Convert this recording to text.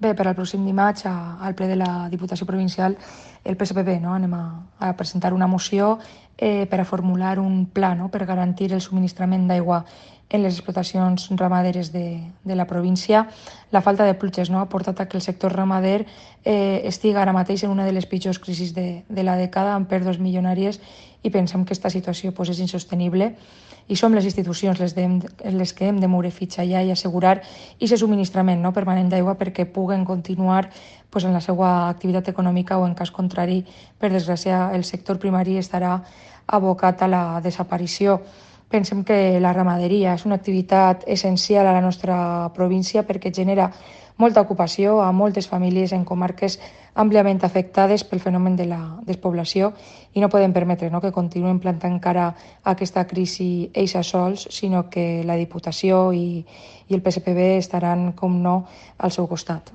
Bé, per al pròxim dimarts, al ple de la Diputació Provincial, el PSPB anem a presentar una moció per a formular un pla per garantir el subministrament d'aigua en les explotacions ramaderes de la província. La falta de pluges ha portat a que el sector ramader estigui ara mateix en una de les pitjors crisis de la dècada, amb pèrdues milionàries, i pensem que aquesta situació és insostenible. I som les institucions les que hem de moure fitxa ja i assegurar aquest subministrament permanent d'aigua perquè puguen continuar en la seva activitat econòmica, o en cas contrari, per desgràcia, el sector primari estarà abocat a la desaparició. Pensem que la ramaderia és una activitat essencial a la nostra província perquè genera molta ocupació a moltes famílies en comarques àmpliament afectades pel fenomen de la despoblació, i no podem permetre que continuem plantant cara a aquesta crisi ells sols, sinó que la Diputació i el PSPB estaran, com no, al seu costat.